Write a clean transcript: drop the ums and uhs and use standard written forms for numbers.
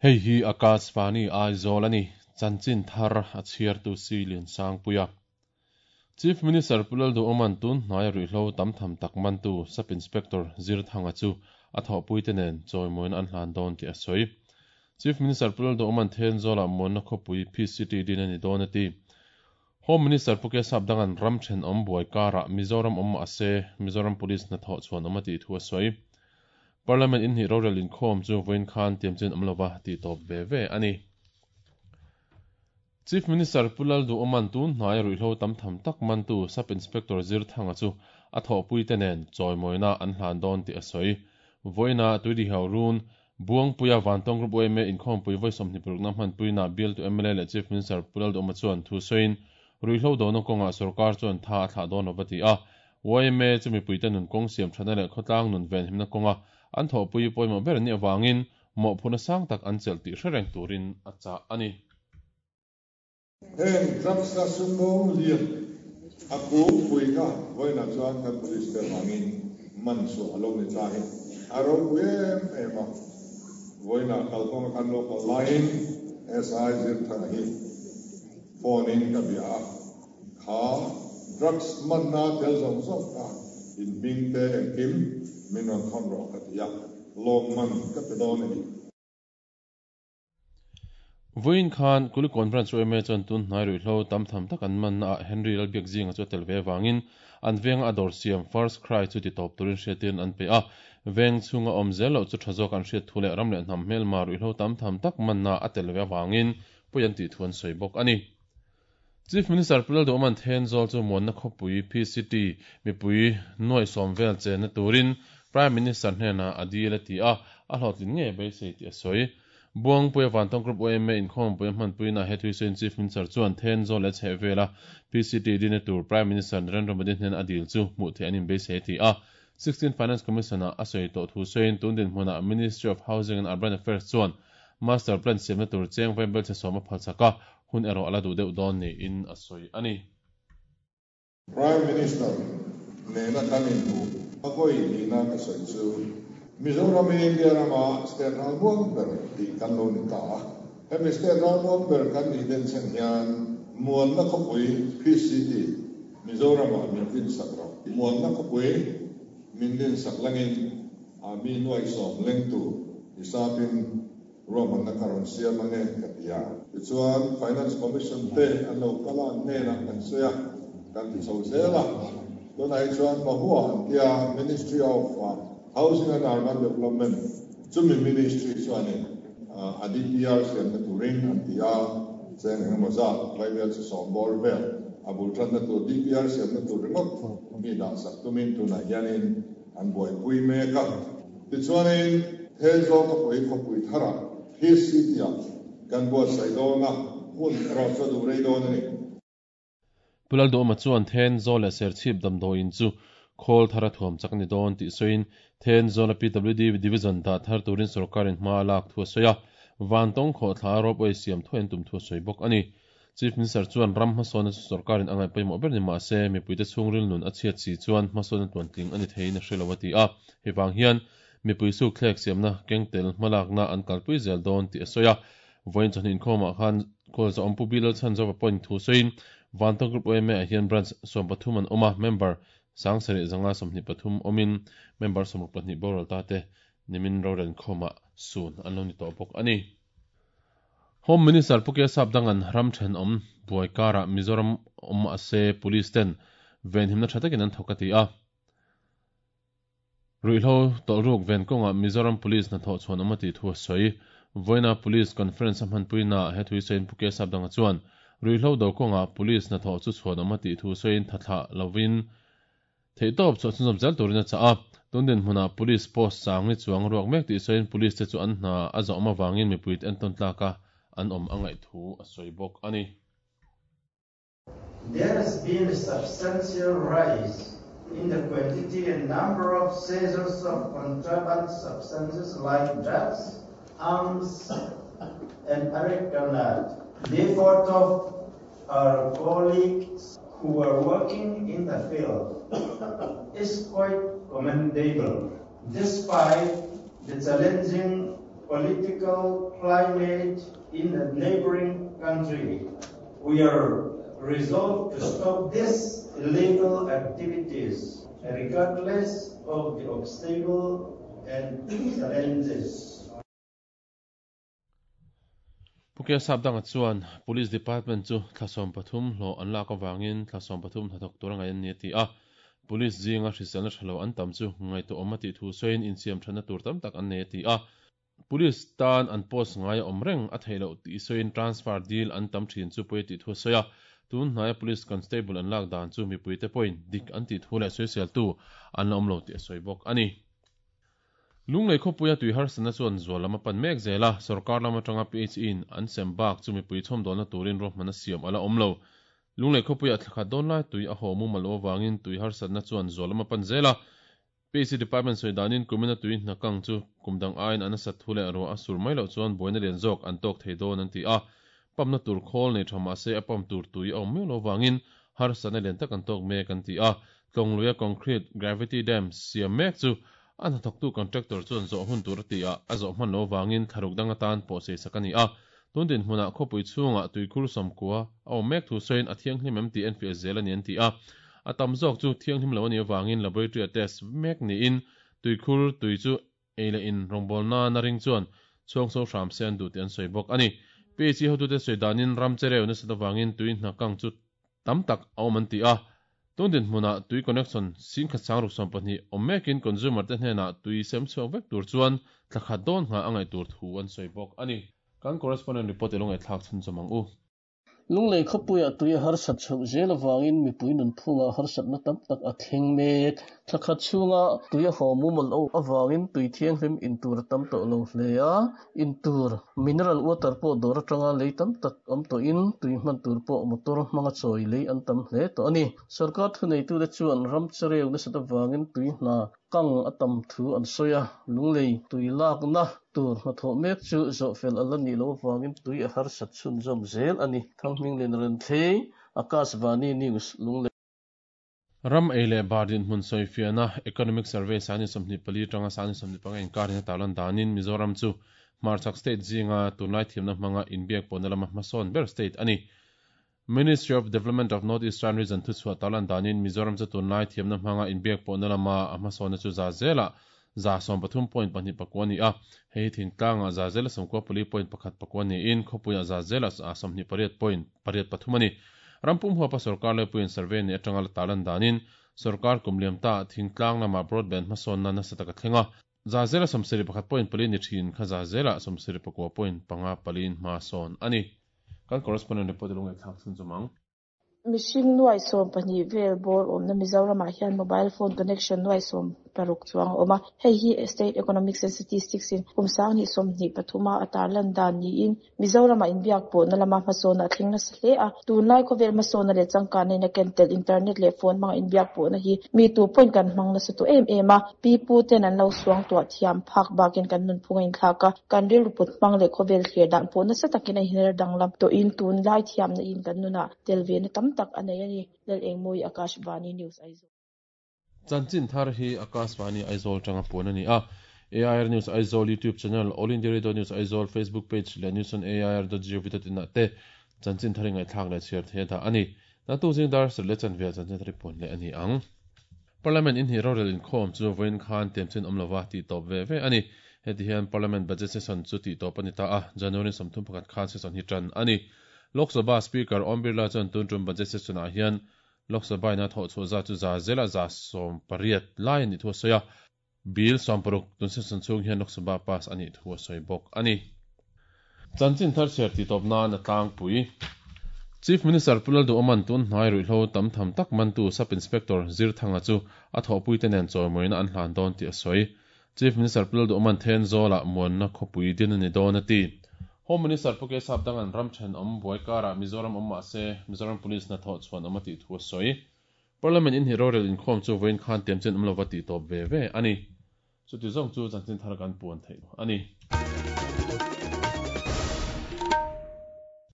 Hei hi Akashvani Aizawl a ni, chanchin thar a chhiartu si Liansangpuia. Chief Minister Pu Lalduhawma'n tun hnaia ruihhlo tam tham tak mantu Sub Inspector Zirthanga chu a thawhpuite nen chawimawina an hlan dawn tih a sawi. Chief Minister Pu Lalduhawma'n Thenzawlah muanna khawpui Peace City din a ni dawn a ti. Home Minister Pu Kesap Danga'n ram thenawm buai karah Mizoram awm mah se Mizoram Police hnathawh chhuan awm a tih thu a sawi. Parliament inhnih rorel inkhawm chu vawiin khan tiamchin awm lova tih tawp ve ve a ni. Chief Minister Pu Lalduhawma'n tun hnaia ruihhlo tam tham tak mantu Sub Inspector Zirthanga chu a thawhpuite nen chawimawina an hlan dawn tih a sawi. Vawiina Tuidihau Run, Buangpuia Vantawng Group yma inkhawmpui vawi 26na hmanpuina bialtu mla leh Chief Minister Pu Lalduhawma chuan thu sawiin ruihhlo dona kawngah sorkar chuan tha a thlah dawn lova ti a. Yma chu mipuite nun kawng siam thatna leh khawtlang nun venhimna kawnga an thawhpui pawimawh ber anih avangin mawhphurhna sang tak an chelh tih hre reng turin a chah a ni. Heng drugs a sumdawng lian a kungpui kha vawiinah chuan kan police te vangin man chhuah a lo ni ta hi a ropui em em a. Vawiinah kalkawnga kan lo kal laiin SI Zirthanga hi phone in ka bia a, kha drugs manna tel zawng zawng kha in hming te engkim min rawn thawn rawh ka ti a, lawmman ka pe dawn a ni. Vawiin khan Kulikawn Branch yma chuan tun hnai ruihhlo tam tham tak an manna ah Henry Lalbiakzinga chu a tel ve avangin an venga a dawr siam First Cry chu ti tawp turin hriatin an pe a. Veng chhunga awm zel loh chu tha zawk an hriat thu leh ram leh hnam hmelma ruihhlo tam tham tak manna a tel ve avangin pawi an tih thu an sawi bawk a ni. Chief Minister Pu Lalduhawma'n Thenzawl chu muanna khawpui PCT mipui nuaih sawm vel chenna turin Prime Minister hnenah a dil a ti a, a hlawhtlin ngei beisei tih a sawi. Buangpuia Vantawng Group yma inkhawmpuia hmanpuina he thuisawiin Chief Minister chuan Thenzawl leh chhehvela PCT dinna tur Prime Minister Narendra Modi hnena a dil chu hmuh theih an inbeisei a ti a. 16 Finance Commission-ah a sawi tawh thu sawiin tun dinhmunah Ministry of Housing and Urban Affairs chuan Master Plan siamna tur cheng vaibel chhe sawm a phalchak a, hun erawh a la duh deuh dawn niin a sawi a ni. Prime Minister nena kan inhmuh a vawi hnihna ka sawi chu Mizoram hi India rama state ralmuang ber tih kan lo ni ta a. Hemi state ralmuang ber kan nih denchhen hian Muanna khawpui, Peace City, Mizoramah min dinsak rawh. Muanna khawpui min dinsak langin mi nuaihsawm lengtu hisapin Ruahmanna ka rawn siam ange ka ti a. Tichuan Finance Commission te an lo kal a, an hnenah kan sawi a, kan ti chho zel a. Tunah hi chuan Mahua an tia Ministry of Housing and Urban Development chumi Ministry chuanin a DPR siamna turin an ti a, cheng engemaw zat Vaibel chu sawm bawr vel a bul tanna tur DPR siamna tur ringawt mi dahsak tumin tunah hianin an buaipui mek a. Tichuanin, Thenzawl khawpui khawpui tharah Peace City-ah kan buatsaih dawn a, hun erawh chu a duh rei dawn a ni. Pu Lalduhawma chuan Thenzawl leh Serchhip damdawiin chu khawl thar a thuam chak a ni dawn tih sawiin Thenzawla PWD Division dah thar turin sorkarin hma a lak thu a sawi a, Vantawng khawhthla ropeway siam thuai an tum thu a sawi bawk a ni. Chief Minister chuan ram hmasawnna chu sorkarin a ngaih pawimawh ber ni mah se, mipuite chhungril nun a chhiat si chuan hmasawnna tluantling a ni theiin a hre lo a ti a. Hei vang hian mipui sukthlek siamna kengtel hmalakna an kalpui zel dawn tih a sawi a. Vawiin chawhni inkhawmah khan Kawlzawm Pu Bilal Chhanzova pawhin thu sawiin Vantawng Group yma ah hian Branch 13 an awm a, member 7523 awmin member 62 boral ta te nimin rorel inkhawmah sun an lo ni tawh bawk a ni. Home Minister Pu Kesap Dangan ram thenawm buai karah Mizoram awm mah se Police ten venhimna tha takin an thawk a ti a. Ruihhlo tawlhruk ven kawngah Mizoram Police hnathawh chhuan awm a tih thu a sawi. Vawiina Police Conference a hmanpuinaah he thu sawiin Pu Kesap Danga chuan ruihhlo do kawngah Police hnathawh chu chhuan awm a tih thu sawiin thathlah lovin Theihtawp chhuah chhunzawm zel turin a chah a, tun dinhmunah Police post sang ni chuang ruak mek tih sawiin Police te chu an hna a zawh awm avangin mipuite entawn tlaka an awm a ngaih thu a sawi bawk a ni. There has been a substantial rise in the quantity and number of seizures of contraband substances like drugs, arms and areca nut. The effort of our colleagues who are working in the field is quite commendable. Despite the challenging political climate in the neighboring country. We are resolved to stop these illegal activities regardless of the obstacle and challenges. Pu K Sapdanga chuan Police Department chu thla 13 hlawh an lak avangin thla 13 hnathawk tur a ngaih an ni a ti a. Police zinga hriselna tha lo an tam chu ngaihtuahawm a tih thu sawiin insiam thatna tur tam tak an nei a ti a. Police tan an post ngai a awm reng a theih loh tih sawiin transfer dil an tam thin chu pawi a tih thu a sawi a. Tun hnaia Police Constable an lak dan chu mipuite pawhin dik an tih thu leh sawiseltu an la awm lo tih a sawi bawk a ni. Lunglei khawpuia tui harsatna chuan zual lam a pan mek zel a, sorkar lam atanga PHE in an sem bak chu mipui chhawmdawlna turin ruahmanna siam a la awm lo. Lunglei khawpuiah thla khat dawn lai tui a haw mumal loh avangin tui harsatna chuan zual lam a pan zel a. PHE department sawi danin kumina tui hna kang chu kum dang aiin a nasat thu leh ruah a sur mai loh chuan buaina lian zawk an tawk thei dawn an ti a. Pump na tur khawl nei tha mahse a pump tur tui a awm miau loh avangin harsatna lian tak an tawk mek an ti a. Tlawngluia concrete gravity dam siam mek chu a hnathawktu contractor chuan zawh hun tur a ti a, a zawh hman loh avangin thlaruk dang atan pawh seisak a ni a. Tun dinhmunah khawpui chhungah tuikhur sawmkua a awm mek thu sawiin a thianghlim em tih enfiah zel a ni an ti a. A tam zawk chu thianghlim lo a nih avangin laboratory a test mek niin tuikhur tui chu ei leh in rawngbawlna nana ring chuan chhuang so hram se an duh tih an sawi bawk a ni. PHE hotute sawi danin ram chereu nasat avangin tui hna kang chu tam tak a awm an ti a. Tun dinhmunah tui connection singkhat sangruk 12 awm mekin consumer te hnenah tui sem chhuak vek tur chuan thla khat dawn nghah a ngaih tur thu an sawi bawk a ni. Kan correspondent report i lo ngaihthlak chhunchawm ang u. Lunglei khawpuiah tui a harsat chhoh zel avangin mipui nunphungah harsatna tam tak a thleng mek. Thla khat chhunga tui a haw mumal loh avangin tui thianghlim in tur a tam tawh lo hle a, in tur mineral water pawh dawr atanga lei tam tak awm tawhin tui hman tur pawh motor hmanga chawi lei an tam hle tawh a ni. Sorkar thuneitute chuan ram chereu nasat avangin tui hna kang a tam thu an sawi a, lunglei tui lakna tur hnathawh mek chu zawhfel a la nih loh avangin tui a harsat chhunzawm zel a ni. Thanghminglin Renthlei, Akashvani News, Lunglei. Ram ei leh bar dinhmun sawifiahna Economic Survey sani 24 atanga sani 25 inkarin a tarlan danin Mizoram chu hmarchhak state zinga tunlai thiamna hmanga inbiak pawhna lama hmasawn ber state a ni. Ministry of Development of North Eastern Region thuchhuah tarlan danin Mizoram chu tunlai thiamna hmanga inbiak pawhna lama a hmasawnna chu za zelah 13 point pahnih pakua a ni a, hei hi thingtlangah za zela 94 point pakhat pakua niin khawpuiah za zela 28 point pariat pathum a ni. Rampum huapa sorkar laipuiin survey neih atanga la tarlan danin sorkar kum liam ta thingtlang lamah broadband hmasawnna nasa tak a thleng a, za zela 71 point pali ni thin kha za zela 79 point panga paliin hma sawn a ni. Kan correspondent report i lo ngaihthlak chhunchawm ang. Mihring nuai 12 vel bawr awmna Mizoramah hian mobile phone connection nuai 16 chuang a awm a. Hei hi State Economics and Statistics in kum 2023 a a tarlan dan niin Mizoramah inbiak pawhna lama hmasawnna a thleng nasa hle a. Tunlai khawvel hmasawnna leh changkanna in a ken tel internet leh phone hmanga inbiak pawhna hi mi tu pawhin kan hmang nasa tawh em em a. Pi pu ten an lo suang tuah thiam phak bakin kan nunphung a inthlak a, kan rilru put hmang leh khawvel thlir dan pawh nasa takin a inher danglam tawhin tunlai thiamna in kan nunah tel ve na tam tak a nei a ni. Lalengmawi Akashvani News Aizawl. Chanchin thar hi Akashvani Aizawl tanga puan a ni a. AIR News Aizawl YouTube channel, All India Radio News Aizawl Facebook page leh news on air dot gov dot in ah te chanchin thar i ngaihthlak leh chhiar thei a dah a ni. Naktuk zing dar sarih leh chanve ah chanchin thar i puan leh a ni ang. Parliament inhnih rorel inkhawm chu vawiin khan tiamchin awm lova tih tawp ve ve a ni. Heti hian Parliament budget session chu tih tawp a ni ta a, January 31 khan session hi tan a ni. Lok Sabha Speaker Om Birla chuan tun tum budget session ah hian Lok Sabha in a thawh chhuah zat chu za zela 80% lai a nih thu a sawi a. Bill 60 tun session chhung hian Lok Sabha pass a nih thu a sawi bawk a ni. Chanchin thar chhiar tih tawp nan a tlangpui. Chief Minister Pu Lalduhawman tun hnai ruihhlo tam tham tak mantu Sub Inspector Zirthanga chu a thawhpuite nen chawimawina an hlan dawn tih a sawi. Chief Minister Pu Lalduhawman Thenzawl-ah muanna khawpui din a ni dawn a ti. Home Minister Pu Kesap Dangan ram thenawm buai karah Mizoram awm mah se Mizoram Police hnathawh chhuan awm a tih thu a sawi. Parliament inhnih rorel inkhawm chu vawiin khan tiamchen awm lova tih tawp ve ve a ni. Chuti zawng chu chanchin thar kan puan theih a ni.